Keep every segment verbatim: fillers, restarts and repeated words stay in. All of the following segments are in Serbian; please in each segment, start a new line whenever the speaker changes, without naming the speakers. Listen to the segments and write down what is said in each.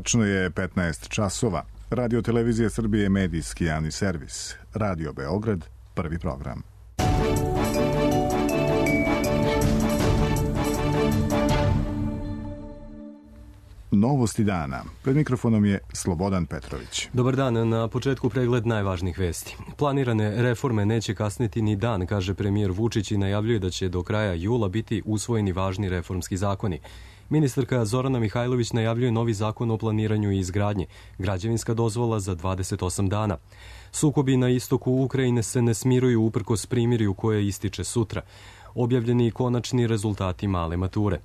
Tačno je petnaest časova. Radio Televizija Srbije je medijski javni servis. Radio Beograd, prvi program. Novosti dana. Pred mikrofonom je Slobodan Petrović.
Dobar dan, na početku pregled najvažnijih vesti. Planirane reforme neće kasniti ni dan, kaže premijer Vučić i najavljuje da će do kraja jula biti usvojeni važni reformski zakoni. Ministarka Zorana Mihajlović najavljuje novi zakon o planiranju i izgradnji, građevinska dozvola za dvadeset osam dana. Sukobi na istoku Ukrajine se ne smiruju uprkos primirju koje ističe sutra. Objavljeni konačni rezultati male mature.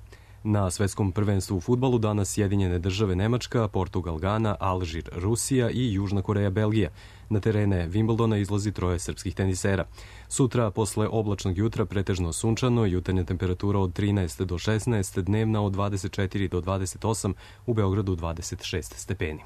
Na svetskom prvenstvu u fudbalu danas Sjedinjene države Nemačka, Portugal Gana, Alžir Rusija i Južna Koreja Belgija. Na terene Wimbledona izlazi troje srpskih tenisera. Sutra, posle oblačnog jutra, pretežno sunčano, jutarnja temperatura od trinaest do šesnaest, dnevna od dvadeset četiri do dvadeset osam, u Beogradu dvadeset šest stepeni.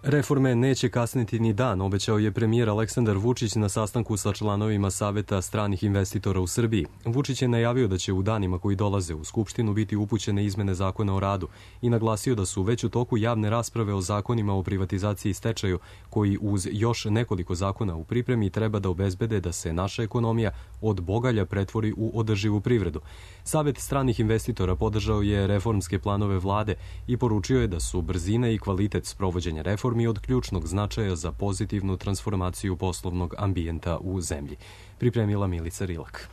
Reforme neće kasniti ni dan, obećao je premijer Aleksandar Vučić na sastanku sa članovima Saveta stranih investitora u Srbiji. Vučić je najavio da će u danima koji dolaze u Skupštinu biti upućene izmene zakona o radu i naglasio da su već u toku javne rasprave o zakonima o privatizaciji i stečaju, koji uz još nekoliko zakona u pripremi treba da obezbede da se naša ekonomija od bogalja pretvori u održivu privredu. Savet stranih investitora podržao je reformske planove vlade i poručio je da su brzina i kvalitet sprovođenja reformi od ključnog značaja za pozitivnu transformaciju poslovnog ambijenta u zemlji. Pripremila Milica Rilak.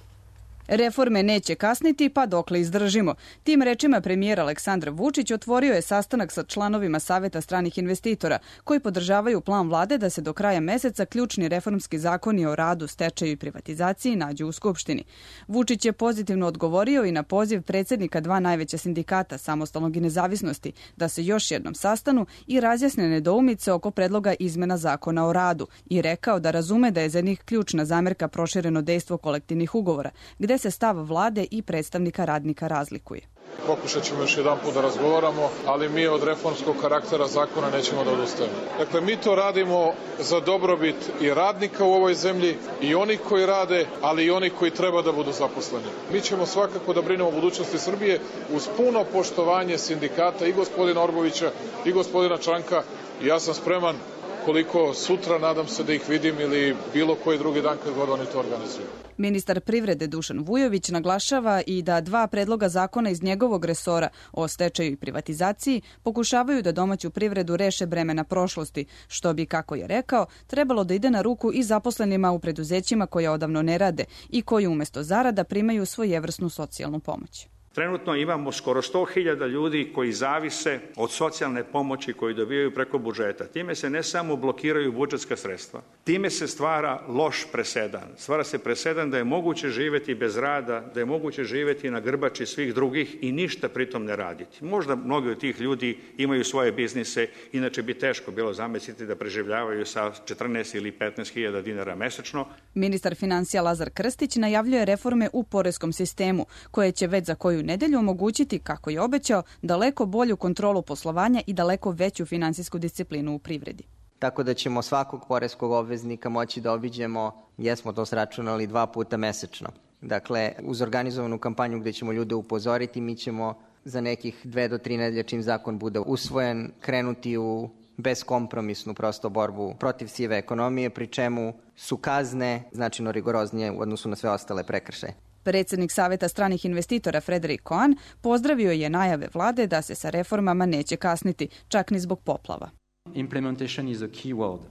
Reforme neće kasniti, pa dokle izdržimo. Tim rečima premijer Aleksandar Vučić otvorio je sastanak sa članovima Saveta stranih investitora, koji podržavaju plan vlade da se do kraja meseca ključni reformski zakoni o radu, stečaju i privatizaciji nađu u Skupštini. Vučić je pozitivno odgovorio i na poziv predsjednika dva najveća sindikata, Samostalnog i Nezavisnosti, da se još jednom sastanu i razjasne nedoumice oko predloga izmena zakona o radu i rekao da razume da je za njih ključna zamerka prošireno dejstvo kolektivnih ugovora, gde se stav vlade i predstavnika radnika razlikuje.
Pokušat ćemo još jedan put da razgovaramo, ali mi od reformskog karaktera zakona nećemo da odustajemo. Dakle, mi to radimo za dobrobit i radnika u ovoj zemlji, i oni koji rade, ali i oni koji treba da budu zaposleni. Mi ćemo svakako da brinemo o budućnosti Srbije uz puno poštovanje sindikata i gospodina Orbovića i gospodina Čanka. I ja sam spreman, koliko sutra, nadam se da ih vidim, ili bilo koji drugi dan kad god oni to organizuju.
Ministar privrede Dušan Vujović naglašava i da dva predloga zakona iz njegovog resora o stečaju i privatizaciji pokušavaju da domaću privredu reše bremena prošlosti, što bi, kako je rekao, trebalo da ide na ruku i zaposlenima u preduzećima koja odavno ne rade i koji umesto zarada primaju svojevrsnu socijalnu pomoć.
Trenutno imamo skoro sto hiljada ljudi koji zavise od socijalne pomoći koju dobijaju preko budžeta. Time se ne samo blokiraju budžetska sredstva, time se stvara loš presedan. Stvara se presedan da je moguće živeti bez rada, da je moguće živeti na grbači svih drugih i ništa pritom ne raditi. Možda mnogi od tih ljudi imaju svoje biznise, inače bi teško bilo zamisliti da preživljavaju sa četrnaest ili petnaest hiljada dinara mesečno.
Ministar finansija Lazar Krstić najavljuje reforme u poreskom sistemu, koje će već za koju nedelju omogućiti, kako je obećao, daleko bolju kontrolu poslovanja i daleko veću finansijsku disciplinu u privredi.
Tako da ćemo svakog poreskog obveznika moći da obiđemo, jesmo to sračunali, dva puta mesečno. Dakle, uz organizovanu kampanju gde ćemo ljude upozoriti, mi ćemo za nekih dve do tri nedelje, čim zakon bude usvojen, krenuti u beskompromisnu prosto borbu protiv sive ekonomije, pri čemu su kazne značajno rigoroznije u odnosu na sve ostale prekršaje.
Predsjednik Saveta stranih investitora Frederik Cohen pozdravio je najave vlade da se sa reformama neće kasniti, čak ni zbog poplava.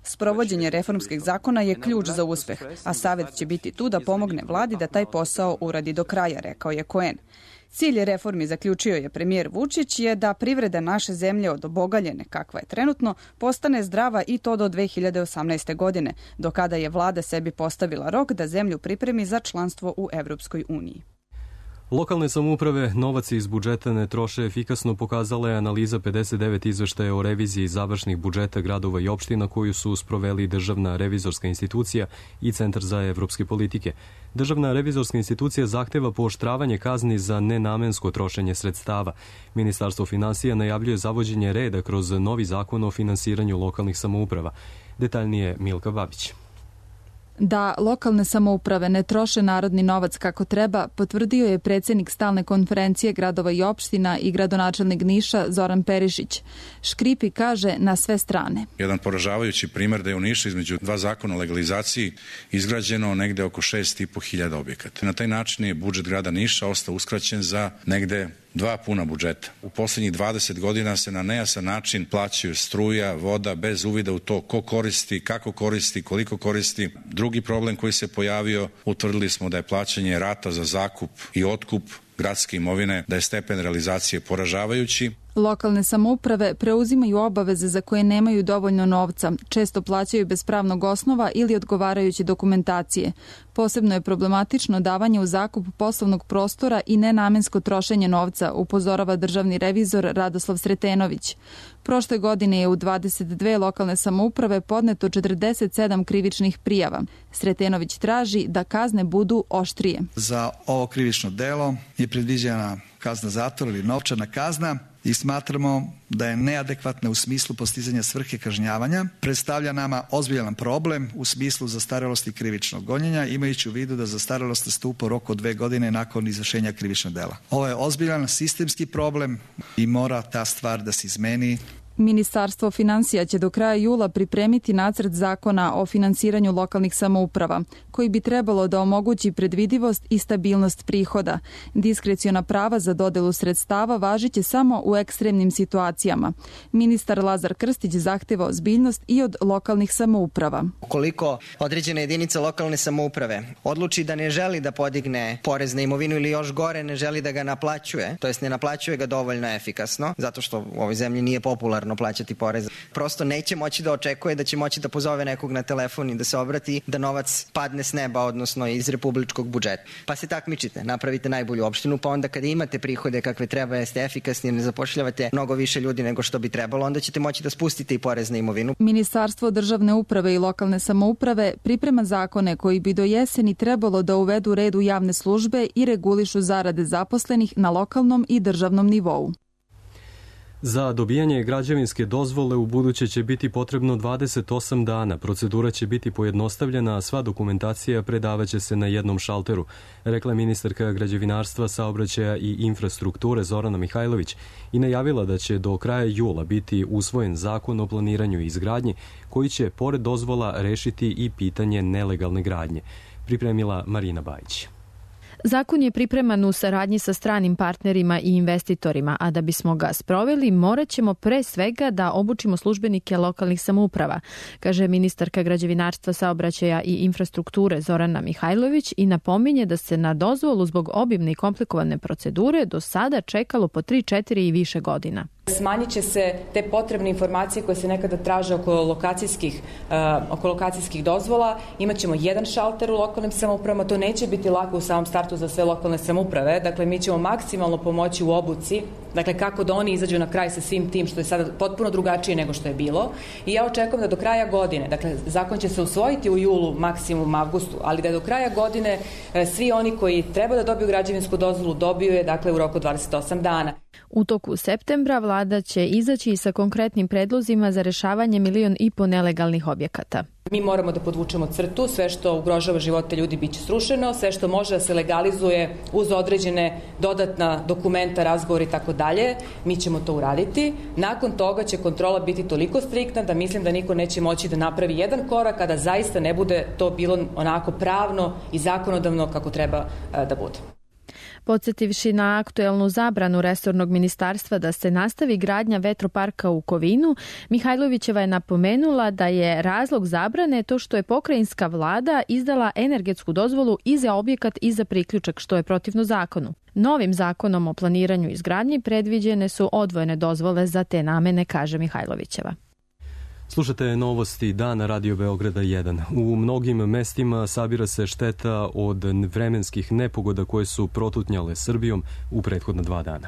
Sprovođenje reformskih zakona je ključ za uspeh, a Savet će biti tu da pomogne vladi da taj posao uradi do kraja, rekao je Cohen. Cilj reformi, zaključio je premijer Vučić, je da privreda naše zemlje od obogaljene, kakva je trenutno, postane zdrava i to do dve hiljade osamnaeste. godine, do kada je vlada sebi postavila rok da zemlju pripremi za članstvo u Evropskoj uniji.
Lokalne samouprave novac iz budžeta ne troše efikasno, pokazala je analiza pedeset devet izveštaja o reviziji završnih budžeta gradova i opština koju su sproveli Državna revizorska institucija i Centar za evropske politike. Državna revizorska institucija zahteva pooštravanje kazni za nenamensko trošenje sredstava. Ministarstvo finansija najavljuje zavođenje reda kroz novi zakon o finansiranju lokalnih samouprava. Detaljnije Milka Babić.
Da lokalne samouprave ne troše narodni novac kako treba, potvrdio je predsjednik stalne konferencije gradova i opština i gradonačelnik Niša Zoran Perišić. Škripi kaže na sve strane.
Jedan poražavajući primjer da je u Nišu između dva zakona o legalizaciji izgrađeno negde oko šest i po hiljada objekata. Na taj način je budžet grada Niša ostao uskraćen za negde dva puna budžeta. U posljednjih dvadeset godina se na nejasan način plaćaju struja, voda, bez uvida u to ko koristi, kako koristi, koliko koristi. Drugi problem koji se pojavio, utvrdili smo da je plaćanje rata za zakup i otkup gradske imovine, da je stepen realizacije poražavajući.
Lokalne samouprave preuzimaju obaveze za koje nemaju dovoljno novca, često plaćaju bez pravnog osnova ili odgovarajuće dokumentacije. Posebno je problematično davanje u zakup poslovnog prostora i nenamensko trošenje novca, upozorava državni revizor Radoslav Sretenović. Prošle godine je u dvadeset dve lokalne samouprave podneto četrdeset sedam krivičnih prijava. Sretenović traži da kazne budu oštrije.
Za ovo krivično delo je predviđena kazna zatvora ili novčana kazna i smatramo da je neadekvatna u smislu postizanja svrhe kažnjavanja. Predstavlja nama ozbiljan problem u smislu zastarelosti krivičnog gonjenja, imajući u vidu da zastarelost nastupa u roku od dve godine nakon izvršenja krivičnog dela. Ovo je ozbiljan sistemski problem i mora ta stvar da se izmeni.
Ministarstvo finansija će do kraja jula pripremiti nacrt zakona o finansiranju lokalnih samouprava, koji bi trebalo da omogući predvidivost i stabilnost prihoda. Diskreciona prava za dodelu sredstava važiće samo u ekstremnim situacijama. Ministar Lazar Krstić zahteva ozbiljnost i od lokalnih samouprava.
Ukoliko određena jedinica lokalne samouprave odluči da ne želi da podigne porez na imovinu ili još gore ne želi da ga naplaćuje, to jest ne naplaćuje ga dovoljno efikasno, zato što u ovoj zemlji nije popularno plaćati porez. Prosto neće moći da očekuje da će moći da pozove nekog na telefon i da se obrati da novac padne s neba, odnosno iz republičkog budžeta. Pa se takmičite, napravite najbolju opštinu, pa onda kada imate prihode kakve treba, jeste efikasni, ne zapošljavate mnogo više ljudi nego što bi trebalo, onda ćete moći da spustite i porez na imovinu.
Ministarstvo državne uprave i lokalne samouprave priprema zakone koji bi do jeseni trebalo da uvedu red u javne službe i regulišu zarade zaposlenih na lokalnom i državnom nivou.
Za dobijanje građevinske dozvole u buduće će biti potrebno dvadeset osam dana. Procedura će biti pojednostavljena, a sva dokumentacija predavaće se na jednom šalteru, rekla je ministarka građevinarstva, saobraćaja i infrastrukture Zorana Mihajlović i najavila da će do kraja jula biti usvojen zakon o planiranju i izgradnji koji će, pored dozvola, rešiti i pitanje nelegalne gradnje. Pripremila Marina Bajić.
Zakon je pripreman u saradnji sa stranim partnerima i investitorima, a da bismo ga sproveli morat ćemo pre svega da obučimo službenike lokalnih samouprava, kaže ministarka građevinarstva, saobraćaja i infrastrukture Zorana Mihajlović i napominje da se na dozvolu zbog obimne i komplikovane procedure do sada čekalo po tri, četiri i više godina.
Smanjit će se te potrebne informacije koje se nekada traže oko lokacijskih, uh, oko lokacijskih dozvola. Imaćemo jedan šalter u lokalnim samoupravama, to neće biti lako u samom startu za sve lokalne samouprave, dakle mi ćemo maksimalno pomoći u obuci, dakle kako da oni izađu na kraj sa svim tim što je sada potpuno drugačije nego što je bilo i ja očekujem da do kraja godine, dakle zakon će se usvojiti u julu, maksimum avgustu, ali da do kraja godine svi oni koji treba da dobiju građevinsku dozvolu dobiju je dakle u roku dvadeset osam dana.
U toku septembra vlada će izaći sa konkretnim predlozima za rešavanje milion i po nelegalnih objekata.
Mi moramo da podvučemo crtu, sve što ugrožava živote ljudi biće srušeno, sve što može da se legalizuje uz određene dodatna dokumenta, razgovori i tako dalje, mi ćemo to uraditi. Nakon toga će kontrola biti toliko striktna da mislim da niko neće moći da napravi jedan korak kada zaista ne bude to bilo onako pravno i zakonodavno kako treba da bude.
Podsjetivši na aktuelnu zabranu resornog ministarstva da se nastavi gradnja vetroparka u Kovinu, Mihajlovićeva je napomenula da je razlog zabrane to što je pokrajinska vlada izdala energetsku dozvolu i za objekat i za priključak, što je protivno zakonu. Novim zakonom o planiranju i izgradnji predviđene su odvojene dozvole za te namene, kaže Mihajlovićeva.
Slušate novosti dana Radio Beograda jedan. U mnogim mestima sabira se šteta od vremenskih nepogoda koje su protutnjale Srbijom u prethodna dva dana.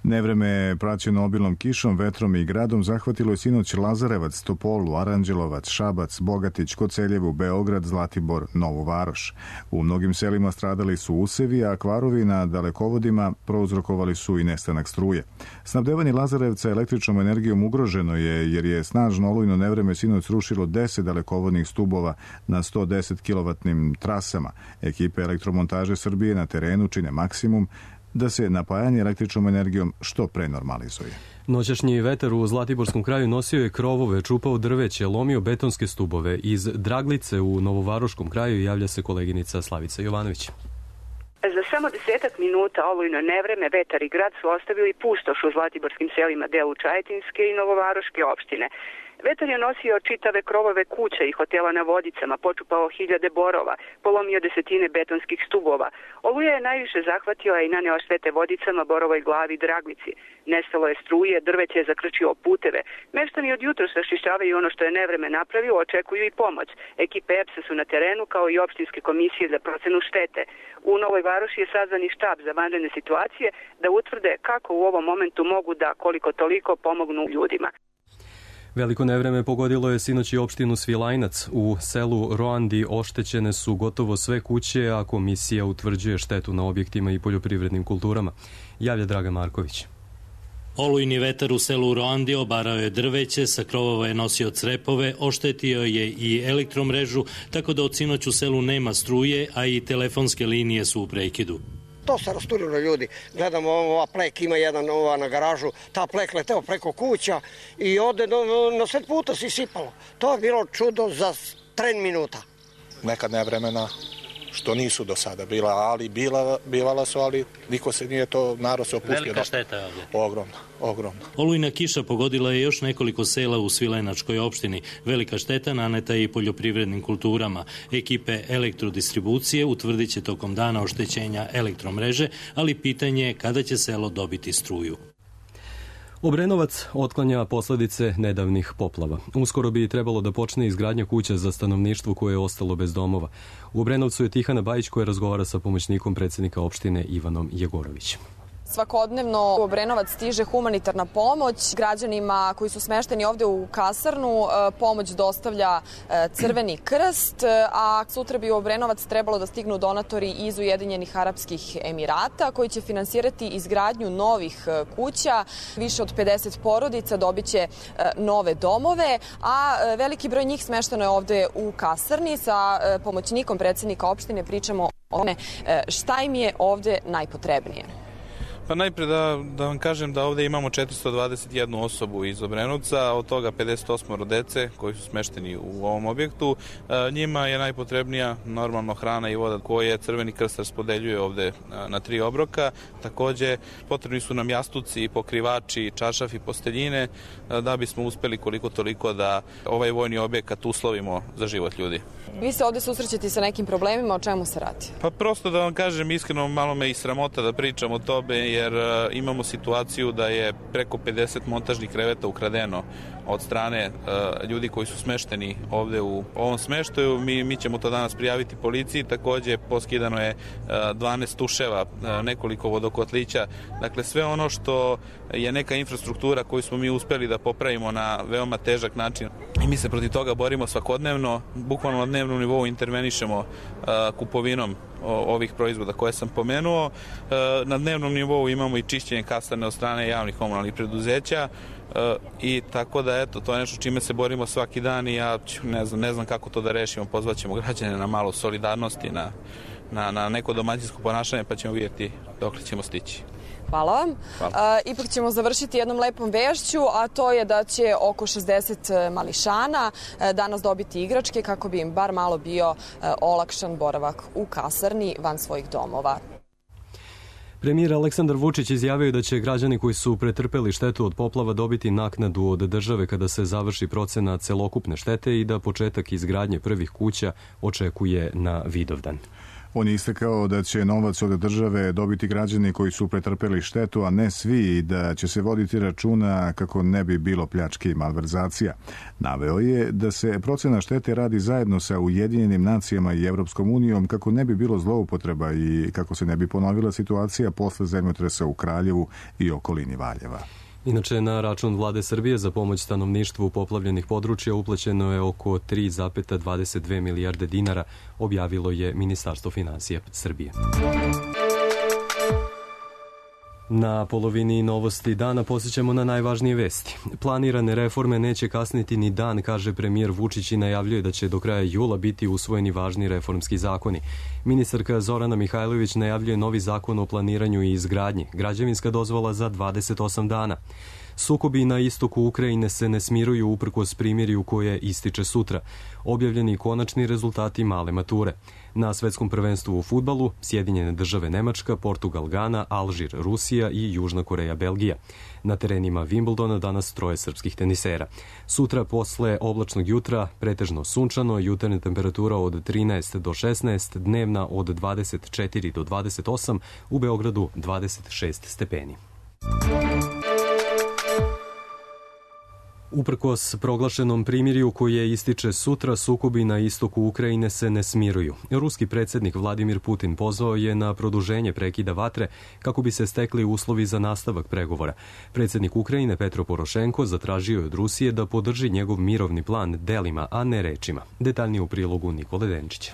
Nevreme praćeno obilnom kišom, vetrom i gradom zahvatilo je sinoć Lazarevac, Topolu, Aranđelovac, Šabac, Bogatić, Koceljevu, Beograd, Zlatibor, Novu Varoš. U mnogim selima stradali su usevi, a kvarovi na dalekovodima prouzrokovali su i nestanak struje. Snabdevanje Lazarevca električnom energijom ugroženo je jer je snažno olujno nevreme sinoć srušilo deset dalekovodnih stubova na sto deset kilovatnim trasama. Ekipe elektromontaže Srbije na terenu čine maksimum da se napajanje električnom energijom što pre normalizuje.
Noćašnji vetar u Zlatiborskom kraju nosio je krovove, čupao drveće, lomio betonske stubove. Iz Draglice u Novovaroškom kraju javlja se koleginica Slavica Jovanović.
Za samo desetak minuta olujno nevreme, vetar i grad su ostavili pustoš u zlatiborskim selima delu Čajetinske i Novovaroške opštine. Vetar je nosio čitave krovove kuća i hotela na Vodicama, počupao hiljade borova, polomio desetine betonskih stubova. Oluja je najviše zahvatila i naneo štete Vodicama, Borovoj Glavi i Draglici. Nestalo je struje, drveće je zakrčio puteve. Meštani od jutros raščišćavaju ono što je nevreme napravilo, očekuju i pomoć. Ekipe E P S-a su na terenu, kao i opštinske komisije za procenu štete. U Novoj Varoši je sazvan i štab za vanredne situacije da utvrde kako u ovom momentu mogu da koliko toliko pomognu ljudima.
Veliko nevreme pogodilo je sinoć i opštinu Svilajnac. U selu Roandi oštećene su gotovo sve kuće, a komisija utvrđuje štetu na objektima i poljoprivrednim kulturama. Javlja Draga Marković.
Olujni vetar u selu Roandi obarao je drveće, sa krovova je nosio crepove, oštetio je i elektromrežu, tako da od sinoć u selu nema struje, a i telefonske linije su u prekidu.
To se rasturilo ljudi. Gledamo, ova plek ima jedan ova na garažu, ta plek leteo preko kuća i ode na sred puta se sipalo. To je bilo čudo za tren minuta.
Neka nevremena što nisu do sada bila, ali bila, bivala su, ali niko se nije to, narod se opustio.
Velika šteta je ovdje.
Ogromna, ogromna.
Olujna kiša pogodila je još nekoliko sela u Svilajnačkoj opštini. Velika šteta naneta je i poljoprivrednim kulturama. Ekipe elektrodistribucije utvrdit će tokom dana oštećenja elektromreže, ali pitanje je kada će selo dobiti struju.
Obrenovac otklanja posledice nedavnih poplava. Uskoro bi trebalo da počne izgradnja kuća za stanovništvo koje je ostalo bez domova. U Obrenovcu je Tihana Bajić koja razgovara sa pomoćnikom predsjednika opštine Ivanom Jegorovićem.
Svakodnevno u Obrenovac stiže humanitarna pomoć. Građanima koji su smešteni ovde u kasarnu pomoć dostavlja Crveni krst, a sutra bi u Obrenovac trebalo da stignu donatori iz Ujedinjenih Arapskih Emirata koji će finansirati izgradnju novih kuća. Više od pedeset porodica dobiće nove domove, a veliki broj njih smešteno je ovde u kasarni. Sa pomoćnikom predsjednika opštine pričamo o tome šta im je ovde najpotrebnije.
Pa najpre da, da vam kažem da ovde imamo četiristo dvadeset jednu osobu iz Obrenovca, od toga pedeset osam dece koji su smešteni u ovom objektu. E, njima je najpotrebnija normalno hrana i voda koje Crveni krst raspodeljuje ovde na tri obroka. Takođe potrebni su nam jastuci, pokrivači, čaršafi, posteljine da bismo uspeli koliko toliko da ovaj vojni objekat uslovimo za život ljudi.
Vi se ovde susrećete sa nekim problemima, o čemu se radi?
Pa prosto da vam kažem iskreno, malo me i sramota da pričam o tome, jer imamo situaciju da je preko pedeset montažnih kreveta ukradeno od strane uh, ljudi koji su smešteni ovde u ovom smeštaju. Mi, mi ćemo to danas prijaviti policiji. Takođe poskidano je uh, dvanaest tuševa, uh, nekoliko vodokotlića. Dakle, sve ono što je neka infrastruktura koju smo mi uspeli da popravimo na veoma težak način. I mi se protiv toga borimo svakodnevno. Bukvalno na dnevnom nivou intervenišemo uh, kupovinom ovih proizvoda koje sam pomenuo. Na dnevnom nivou imamo i čišćenje kasarne od strane javnih komunalnih preduzeća i tako da eto, to je nešto čime se borimo svaki dan i ja ne znam, ne znam kako to da rešimo. Pozvaćemo građane na malo solidarnosti, na, na, na neko domaćinsko ponašanje, pa ćemo vidjeti dokle ćemo stići.
Hvala vam. Hvala. E, ipak ćemo završiti jednom lepom vešću, a to je da će oko šezdeset mališana e, danas dobiti igračke kako bi im bar malo bio e, olakšan boravak u kasarni van svojih domova.
Premijer Aleksandar Vučić izjavio da će građani koji su pretrpeli štetu od poplava dobiti naknadu od države kada se završi procena celokupne štete i da početak izgradnje prvih kuća očekuje na Vidovdan.
On je istakao da će novac od države dobiti građani koji su pretrpeli štetu, a ne svi, i da će se voditi računa kako ne bi bilo pljačke i malverzacija. Naveo je da se procena štete radi zajedno sa Ujedinjenim nacijama i Evropskom unijom kako ne bi bilo zloupotreba i kako se ne bi ponovila situacija posle zemljotresa u Kraljevu i okolini Valjeva.
Inače, na račun vlade Srbije za pomoć stanovništvu poplavljenih područja uplaćeno je oko tri zarez dvadeset dve milijarde dinara, objavilo je Ministarstvo finansija Srbije. Na polovini novosti dana posjećamo na najvažnije vesti. Planirane reforme neće kasniti ni dan, kaže premijer Vučić i najavljuje da će do kraja jula biti usvojeni važni reformski zakoni. Ministarka Zorana Mihajlović najavljuje novi zakon o planiranju i izgradnji, građevinska dozvola za dvadeset osam dana. Sukobi na istoku Ukrajine se ne smiruju uprkos primirju koje ističe sutra. Objavljeni konačni rezultati male mature. Na svetskom prvenstvu u fudbalu Sjedinjene države Nemačka, Portugal Gana, Alžir Rusija i Južna Koreja Belgija. Na terenima Wimbledona danas troje srpskih tenisera. Sutra posle oblačnog jutra pretežno sunčano, jutarnja temperatura od trinaest do šesnaest, dnevna od dvadeset četiri do dvadeset osam, u Beogradu dvadeset šest stepeni. Uprkos proglašenom primirju koje ističe sutra, sukobi na istoku Ukrajine se ne smiruju. Ruski predsjednik Vladimir Putin pozvao je na produženje prekida vatre kako bi se stekli uslovi za nastavak pregovora. Predsjednik Ukrajine Petro Porošenko zatražio je od Rusije da podrži njegov mirovni plan delima, a ne rečima. Detaljnije u prilogu Nikole Denčića.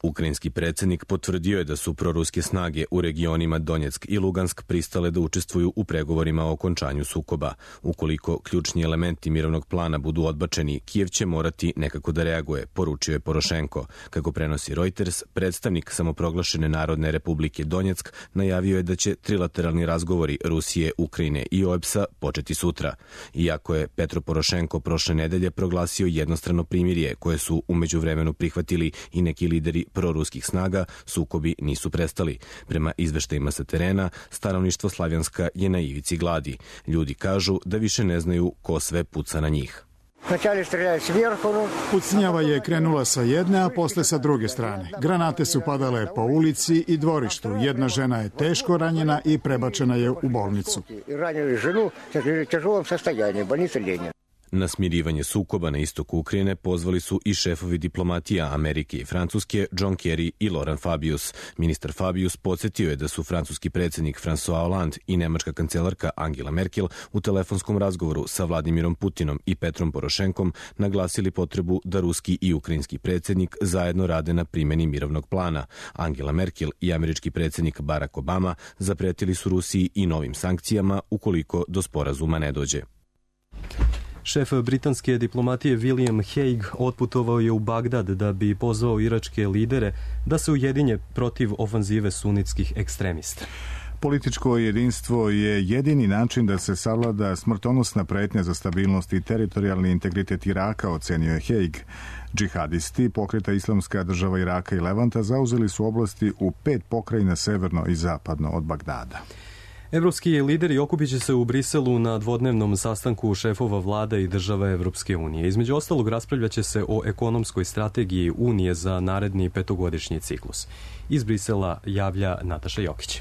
Ukrajinski predsjednik potvrdio je da su proruske snage u regionima Donjeck i Lugansk pristale da učestvuju u pregovorima o okončanju sukoba. Ukoliko ključni elementi mirovnog plana budu odbačeni, Kijev će morati nekako da reaguje, poručio je Porošenko. Kako prenosi Reuters, predstavnik samoproglašene Narodne republike Donjeck najavio je da će trilateralni razgovori Rusije, Ukrajine i O E B S-a početi sutra. Iako je Petro Porošenko prošle nedelje proglasio jednostrano primirje koje su u međuvremenu prihvatili i neki lideri proruskih snaga, sukobi nisu prestali. Prema izveštajima sa terena, stanovništvo Slavjanska je na ivici gladi. Ljudi kažu da više ne znaju ko sve puca na njih.
Pucnjava je krenula sa jedne, a posle sa druge strane. Granate su padale po ulici i dvorištu. Jedna žena je teško ranjena i prebačena je u bolnicu.
Na smirivanje sukoba na istoku Ukrajine pozvali su i šefovi diplomatija Amerike i Francuske John Kerry i Laurent Fabius. Ministar Fabius podsjetio je da su francuski predsjednik François Hollande i nemačka kancelarka Angela Merkel u telefonskom razgovoru sa Vladimirom Putinom i Petrom Porošenkom naglasili potrebu da ruski i ukrajinski predsjednik zajedno rade na primjeni mirovnog plana. Angela Merkel i američki predsjednik Barack Obama zapretili su Rusiji i novim sankcijama ukoliko do sporazuma ne dođe.
Šef britanske diplomatije William Hague otputovao je u Bagdad da bi pozvao iračke lidere da se ujedinje protiv ofanzive sunitskih ekstremista.
Političko jedinstvo je jedini način da se savlada smrtonosna pretnja za stabilnost i teritorijalni integritet Iraka, ocenio je Hague. Džihadisti pokreta Islamska država Iraka i Levanta zauzeli su oblasti u pet pokrajina severno i zapadno od Bagdada.
Evropski lideri okupit će se u Briselu na dvodnevnom sastanku šefova vlada i država Evropske unije. Između ostalog raspravljaće se o ekonomskoj strategiji Unije za naredni petogodišnji ciklus. Iz Brisela javlja Nataša Jokić.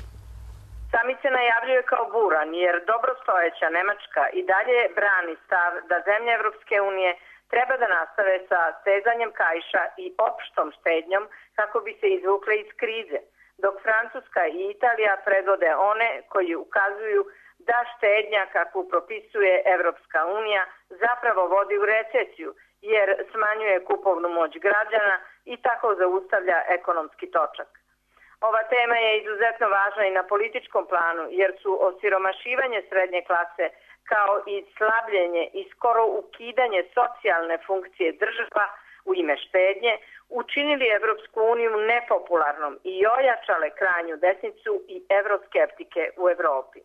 Samit se najavljuje kao buran jer dobrostojeća Nemačka i dalje brani stav da zemlje Evropske unije treba da nastave sa stezanjem kaiša i opštom štednjom kako bi se izvukle iz krize, dok Francuska i Italija predvode one koji ukazuju da štednja kakvu propisuje Evropska unija zapravo vodi u recesiju jer smanjuje kupovnu moć građana i tako zaustavlja ekonomski točak. Ova tema je izuzetno važna i na političkom planu jer su osiromašivanje srednje klase kao i slabljenje i skoro ukidanje socijalne funkcije država u ime štednje učinili Evropsku uniju nepopularnom i ojačale krajnju desnicu i evroskeptike u Evropi.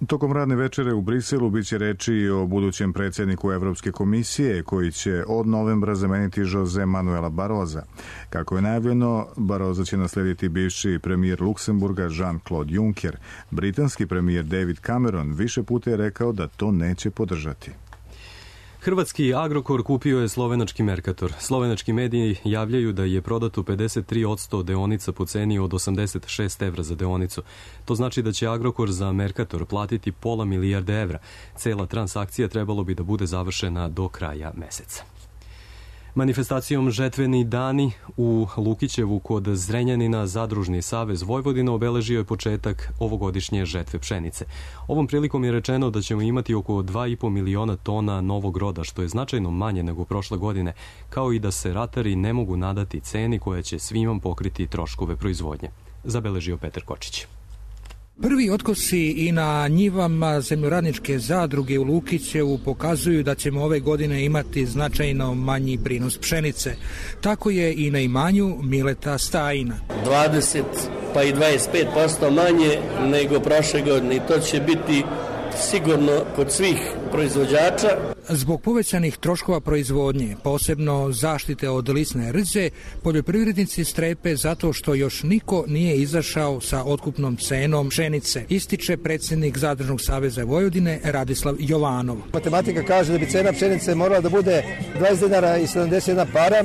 Tokom radne večere u Briselu biće reči o budućem predsjedniku Evropske komisije koji će od novembra zameniti Jose Manuela Baroza. Kako je najavljeno, Baroza će naslediti bivši premijer Luksemburga Jean-Claude Juncker. Britanski premijer David Cameron više puta je rekao da to neće podržati.
Hrvatski Agrokor kupio je slovenački Mercator. Slovenački mediji javljaju da je prodato pedeset tri posto deonica po ceni od osamdeset šest evra za deonicu. To znači da će Agrokor za Mercator platiti pola milijarde evra. Cela transakcija trebalo bi da bude završena do kraja meseca. Manifestacijom Žetveni dani u Lukićevu kod Zrenjanina Zadružni savez Vojvodina obeležio je početak ovogodišnje žetve pšenice. Ovom prilikom je rečeno da ćemo imati oko dva i po miliona tona novog roda, što je značajno manje nego prošle godine, kao i da se ratari ne mogu nadati ceni koja će svima pokriti troškove proizvodnje. Zabeležio Petar Kočić.
Prvi otkosi i na njivama zemljoradničke zadruge u Lukićevu pokazuju da ćemo ove godine imati značajno manji prinos pšenice. Tako je i na imanju Mileta Stajina.
dvadeset pa i dvadeset pet posto manje nego prošle godine i to će biti sigurno kod svih proizvođača.
Zbog povećanih troškova proizvodnje, posebno zaštite od lisne rđe, poljoprivrednici strepe zato što još niko nije izašao sa otkupnom cenom pšenice, ističe predsjednik Zadružnog saveza Vojvodine Radislav Jovanov.
Matematika kaže da bi cena pšenice morala da bude dvadeset dinara i sedamdeset jedna para,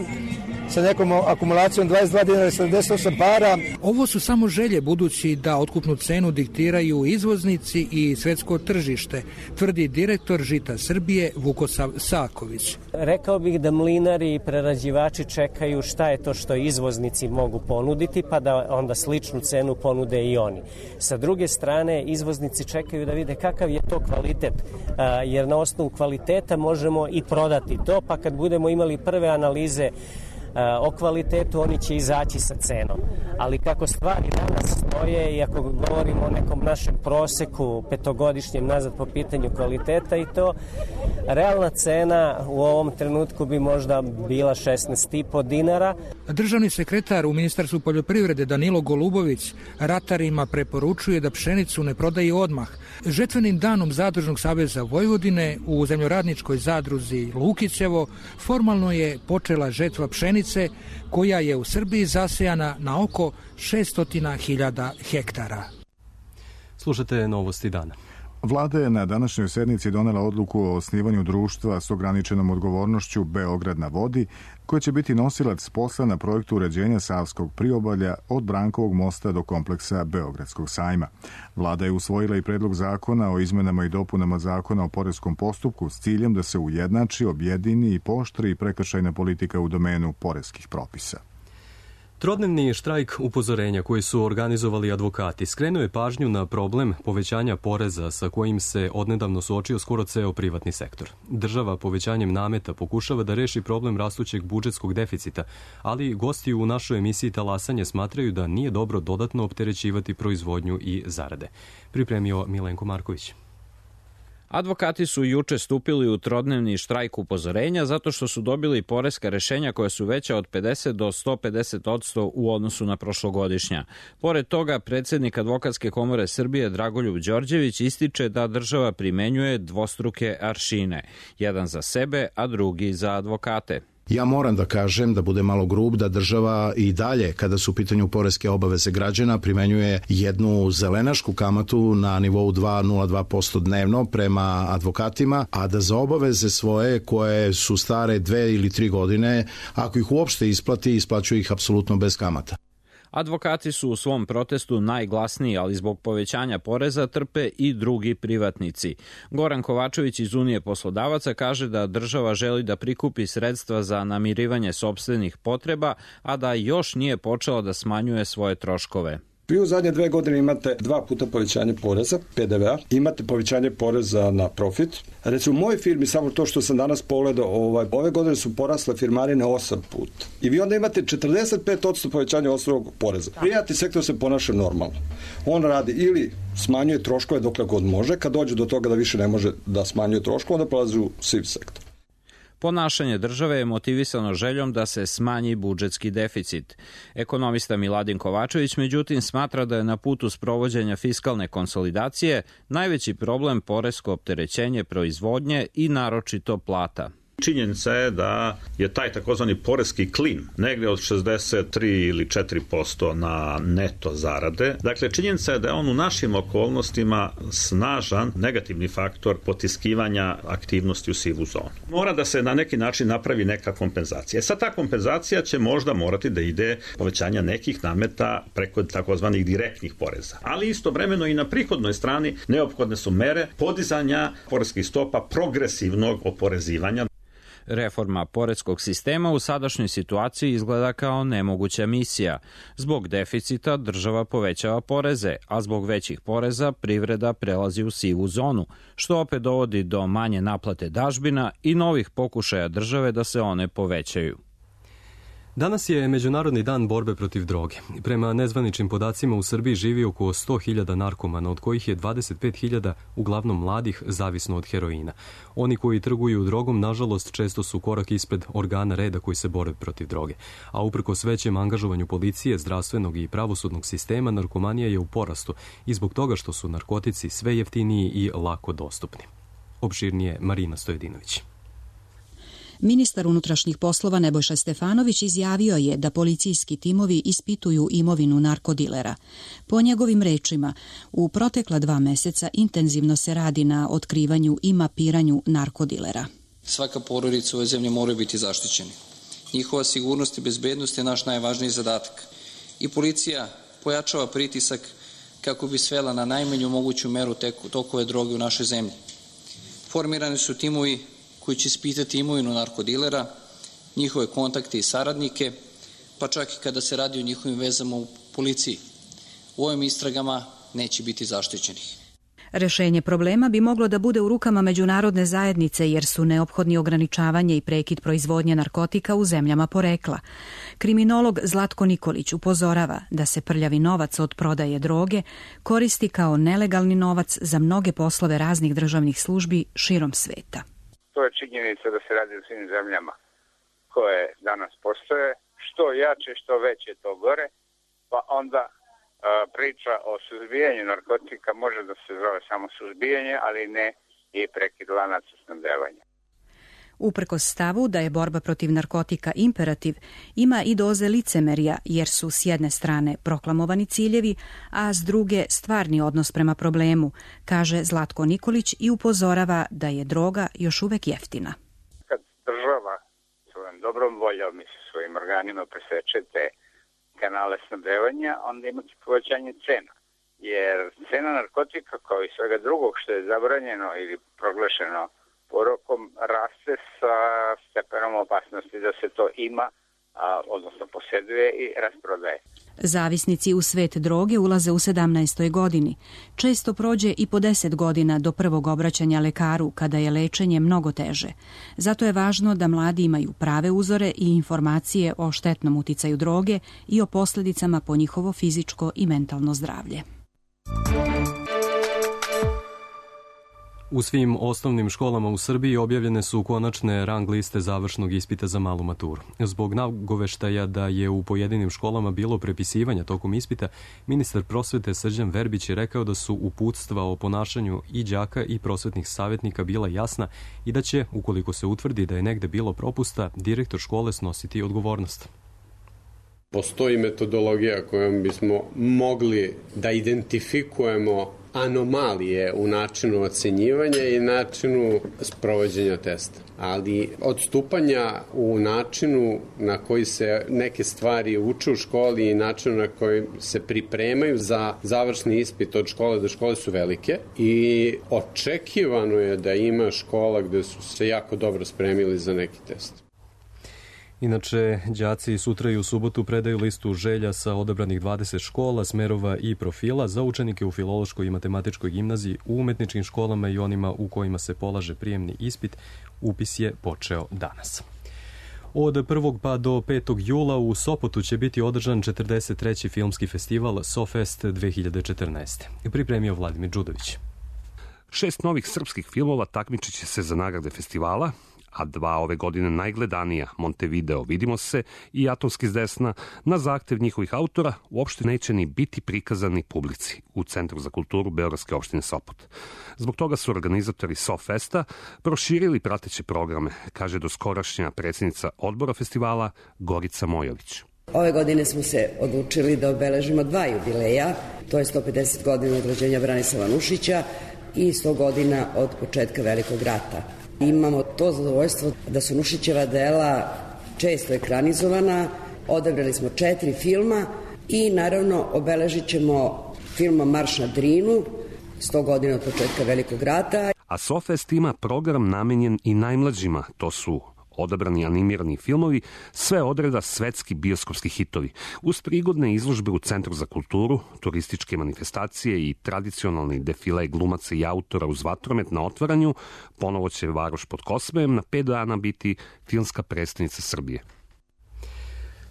sa nekom akumulacijom dvadeset dva dinara i sedamdeset osam para.
Ovo su samo želje, budući da otkupnu cenu diktiraju izvoznici i svetsko tržište, tvrdi direktor Žita Srbije Vukosav Saković.
Rekao bih da mlinari i prerađivači čekaju šta je to što izvoznici mogu ponuditi, pa da onda sličnu cenu ponude i oni. Sa druge strane, izvoznici čekaju da vide kakav je to kvalitet, jer na osnovu kvaliteta možemo i prodati to, pa kad budemo imali prve analize o kvalitetu, oni će izaći sa cenom. Ali kako stvari danas stoje i ako govorimo o nekom našem proseku petogodišnjem nazad po pitanju kvaliteta i to, realna cena u ovom trenutku bi možda bila šesnaest i po dinara.
Državni sekretar u Ministarstvu poljoprivrede Danilo Golubović ratarima preporučuje da pšenicu ne prodaju odmah. Žetvenim danom Zadružnog saveza Vojvodine u zemljoradničkoj zadruzi Lukićevo formalno je počela žetva pšenice koja je u Srbiji zasejana na oko šesto hiljada hektara.
Slušate novosti dana.
Vlada je na današnjoj sednici donela odluku o osnivanju društva s ograničenom odgovornošću Beograd na vodi, koje će biti nosilac posla na projektu uređenja Savskog priobalja od Brankovog mosta do kompleksa Beogradskog sajma. Vlada je usvojila i predlog zakona o izmenama i dopunama zakona o poreskom postupku s ciljem da se ujednači, objedini i pooštri prekršajna politika u domenu poreskih propisa.
Trodnevni štrajk upozorenja koji su organizovali advokati skrenuo je pažnju na problem povećanja poreza sa kojim se odnedavno suočio skoro ceo privatni sektor. Država povećanjem nameta pokušava da reši problem rastućeg budžetskog deficita, ali gosti u našoj emisiji Talasanje smatraju da nije dobro dodatno opterećivati proizvodnju i zarade. Pripremio Milenko Marković.
Advokati su juče stupili u trodnevni štrajk upozorenja zato što su dobili poreska rešenja koja su veća od pedeset do sto pedeset odsto u odnosu na prošlogodišnja. Pored toga, predsjednik Advokatske komore Srbije Dragoljub Đorđević ističe da država primenjuje dvostruke aršine, jedan za sebe, a drugi za advokate.
Ja moram da kažem, da bude malo grub, da država i dalje, kada su u pitanju poreske obaveze građana, primenjuje jednu zelenašku kamatu na nivou dva zarez nula dva posto dnevno prema advokatima, a da za obaveze svoje koje su stare dve ili tri godine, ako ih uopšte isplati, isplaćuje ih apsolutno bez kamata.
Advokati su u svom protestu najglasniji, ali zbog povećanja poreza trpe i drugi privatnici. Goran Kovačević iz Unije poslodavaca kaže da država želi da prikupi sredstva za namirivanje sopstvenih potreba, a da još nije počela da smanjuje svoje troškove.
Vi u zadnje dve godine imate dva puta povećanje poreza, P D V-a, imate povećanje poreza na profit. Recimo, u mojoj firmi, samo to što sam danas pogledao, ovaj, ove godine su porasle firmarine osam puta. I vi onda imate četrdeset pet odsto povećanja osnovnog poreza. Privatni sektor se ponaša normalno. On radi ili smanjuje troškove dokle god može, kad dođe do toga da više ne može da smanjuje troškove, onda prelazi u siv sektor.
Ponašanje države je motivisano željom da se smanji budžetski deficit. Ekonomista Miladin Kovačević međutim smatra da je na putu sprovođenja fiskalne konsolidacije najveći problem poresko opterećenje proizvodnje i naročito plata.
Činjenica je da je taj takozvani poreski klin negde od šezdeset tri ili četiri posto na neto zarade. Dakle, činjenica je da je on u našim okolnostima snažan negativni faktor potiskivanja aktivnosti u sivu zonu. Mora da se na neki način napravi neka kompenzacija. Sad ta kompenzacija će možda morati da ide povećanja nekih nameta preko takozvanih direktnih poreza. Ali istovremeno i na prihodnoj strani neophodne su mere podizanja poreskih stopa progresivnog oporezivanja.
Reforma poreskog sistema u sadašnjoj situaciji izgleda kao nemoguća misija. Zbog deficita država povećava poreze, a zbog većih poreza privreda prelazi u sivu zonu, što opet dovodi do manje naplate dažbina i novih pokušaja države da se one povećaju.
Danas je Međunarodni dan borbe protiv droge. Prema nezvaničnim podacima u Srbiji živi oko sto hiljada narkomana, od kojih je dvadeset pet hiljada uglavnom mladih, zavisno od heroina. Oni koji trguju drogom, nažalost, često su korak ispred organa reda koji se bore protiv droge. A uprkos većem angažovanju policije, zdravstvenog i pravosudnog sistema, narkomanija je u porastu i zbog toga što su narkotici sve jeftiniji i lako dostupni. Opširnije Marina Stojedinović.
Ministar unutrašnjih poslova Nebojša Stefanović izjavio je da policijski timovi ispituju imovinu narkodilera. Po njegovim rečima, u protekla dva meseca intenzivno se radi na otkrivanju i mapiranju narkodilera.
Svaka porodica u ovoj zemlji mora biti zaštićena. Njihova sigurnost i bezbednost je naš najvažniji zadatak. I policija pojačava pritisak kako bi svela na najmanju moguću meru tokove droge u našoj zemlji. Formirani su timovi koji će ispitati imovinu narkodilera, njihove kontakte i saradnike, pa čak i kada se radi o njihovim vezama u policiji. U ovim istragama neće biti zaštićenih.
Rešenje problema bi moglo da bude u rukama međunarodne zajednice jer su neophodni ograničavanje i prekid proizvodnje narkotika u zemljama porekla. Kriminolog Zlatko Nikolić upozorava da se prljavi novac od prodaje droge koristi kao nelegalni novac za mnoge poslove raznih državnih službi širom sveta.
To je činjenica da se radi u svim zemljama koje danas postoje. Što jače, što veće, to gore. Pa onda a, priča o suzbijanju narkotika može da se zove samo suzbijanje, ali ne i prekid lanaca snabdevanja.
Uprkos stavu da je borba protiv narkotika imperativ, ima i doze licemerja jer su s jedne strane proklamovani ciljevi, a s druge stvarni odnos prema problemu, kaže Zlatko Nikolić i upozorava da je droga još uvek jeftina.
Kad država svojom dobrom voljom i svojim organima preseče te kanale snabdevanja, onda imate povećanje cena. Jer cena narkotika kao i svega drugog što je zabranjeno ili proglašeno porokom raste sa stepenom opasnosti da se to ima, a, odnosno posjeduje i rasprodaje.
Zavisnici u svet droge ulaze u sedamnaestoj godini. Često prođe i po deset godina do prvog obraćanja lekaru, kada je lečenje mnogo teže. Zato je važno da mladi imaju prave uzore i informacije o štetnom uticaju droge i o posljedicama po njihovo fizičko i mentalno zdravlje.
U svim osnovnim školama u Srbiji objavljene su konačne rang liste završnog ispita za malu maturu. Zbog nagoveštaja da je u pojedinim školama bilo prepisivanja tokom ispita, ministar prosvete Srđan Verbić je rekao da su uputstva o ponašanju i đaka i prosvetnih savjetnika bila jasna i da će, ukoliko se utvrdi da je negde bilo propusta, direktor škole snositi odgovornost.
Postoji metodologija kojom bismo mogli da identifikujemo anomalije u načinu ocenjivanja i načinu sprovođenja testa. Ali odstupanja u načinu na koji se neke stvari uče u školi i načinu na koji se pripremaju za završni ispit od škole do škole su velike i očekivano je da ima škola gde su se jako dobro spremili za neki test.
Inače, đaci sutra i u subotu predaju listu želja sa odabranih dvadeset škola, smerova i profila za učenike u Filološkoj i Matematičkoj gimnaziji, u umetničkim školama i onima u kojima se polaže prijemni ispit. Upis je počeo danas. Od prvog pa do petog jula u Sopotu će biti održan četrdeset treći filmski festival SoFest dve hiljade četrnaeste. Pripremio Vladimir Đudović.
Šest novih srpskih filmova takmičit će se za nagrade festivala, a dva ove godine najgledanija, Montevideo, Vidimo se i Atomski s desna, na zahtev njihovih autora uopšte neće ni biti prikazani publici u Centru za kulturu Beogradske opštine Sopot. Zbog toga su organizatori SoFesta proširili prateće programe, kaže doskorašnja predsjednica odbora festivala Gorica Mojović.
Ove godine smo se odlučili da obeležimo dva jubileja, to je sto pedeset godina od rođenja Branislava Nušića i sto godina od početka Velikog rata. Imamo to zadovoljstvo da su Nušićeva dela često ekranizovana, odabrali smo četiri filma i naravno obeležit ćemo filmom Marš na Drinu, sto godina od početka Velikog rata.
A SoFest ima program namenjen i najmlađima, to su odabrani animirani filmovi, sve odreda svetski bioskopski hitovi, uz prigodne izložbe u Centru za kulturu, turističke manifestacije i tradicionalni defile glumaca i autora uz vatromet na otvaranju. Ponovo će Varoš pod Kosmejem na pet dana biti filmska predstavnica Srbije.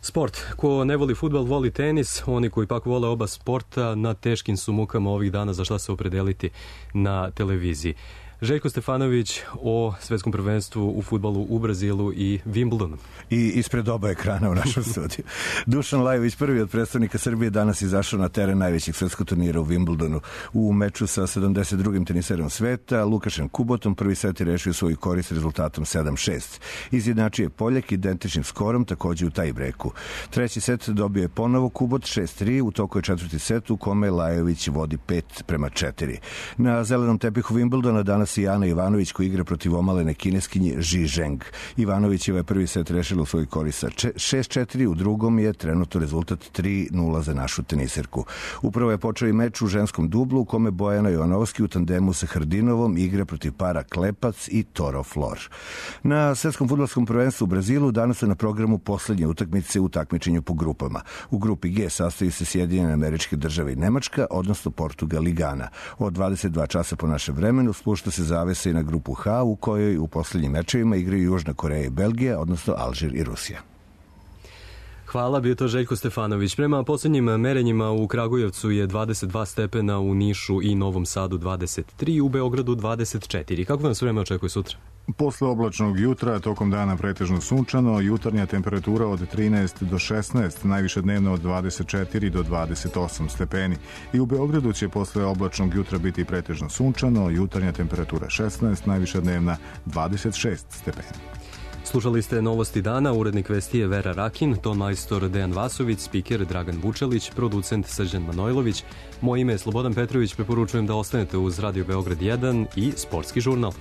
Sport. Ko ne voli fudbal, voli tenis. Oni koji pak vole oba sporta na teškim su mukama ovih dana za šta se opredeliti na televiziji. Željko Stefanović o svetskom prvenstvu u fudbalu u Brazilu i Wimbledonu.
I ispred oba ekrana u našem studiju. Dušan Lajović, prvi od predstavnika Srbije, danas izašao na teren najvećeg svetskog turnira u Wimbledonu. U meču sa sedamdeset drugim teniserom sveta, Lukašem Kubotom, prvi set je rešio svoju korist rezultatom sedam šest. Izjednačio je Poljak identičnim skorom, takođe u taj breku. Treći set dobio je ponovo Kubot šest tri, u toku je četvrti set u kome Lajović vodi pet prema četiri. Na zelenom tepihu Wimbledona danas i Ana Ivanović koji igra protiv omalene kineskinje Ji Zheng. Ivanović je prvi set rešila u svoj korist sa šest četiri, u drugom je trenutno rezultat tri nula za našu teniserku. Upravo je počeo i meč u ženskom dublu u kome Bojana Jovanovski u tandemu sa Hrdinovom igra protiv para Klepac i Toro Flor. Na svetskom fudbalskom prvenstvu u Brazilu danas su na programu poslednje utakmice u takmičenju po grupama. U grupi G sastoji se Sjedinjene Američke Države i Nemačka, odnosno Portugal i Gana. Od dvadeset dva časa po našem vremenu spušta se zavesa i na grupu H, u kojoj u poslednjim mečevima igraju Južna Koreja i Belgija, odnosno Alžir i Rusija.
Hvala, bio to Željko Stefanović. Prema poslednjim merenjima u Kragujevcu je dvadeset dva stepena, u Nišu i Novom Sadu dvadeset tri, u Beogradu dvadeset četiri. Kako vam se vreme očekuje sutra?
Posle oblačnog jutra, tokom dana pretežno sunčano, jutarnja temperatura od trinaest do šesnaest, najviše dnevno od dvadeset četiri do dvadeset osam stepeni. I u Beogradu će posle oblačnog jutra biti pretežno sunčano, jutarnja temperatura šesnaest, najviše dnevna dvadeset šest stepeni.
Slušali ste Novosti dana, urednik vesti je Vera Rakin, ton majstor Dejan Vasović, spiker Dragan Vučelić, producent Srđan Manojlović. Moje ime je Slobodan Petrović, preporučujem da ostanete uz Radio Beograd jedan i Sportski žurnal.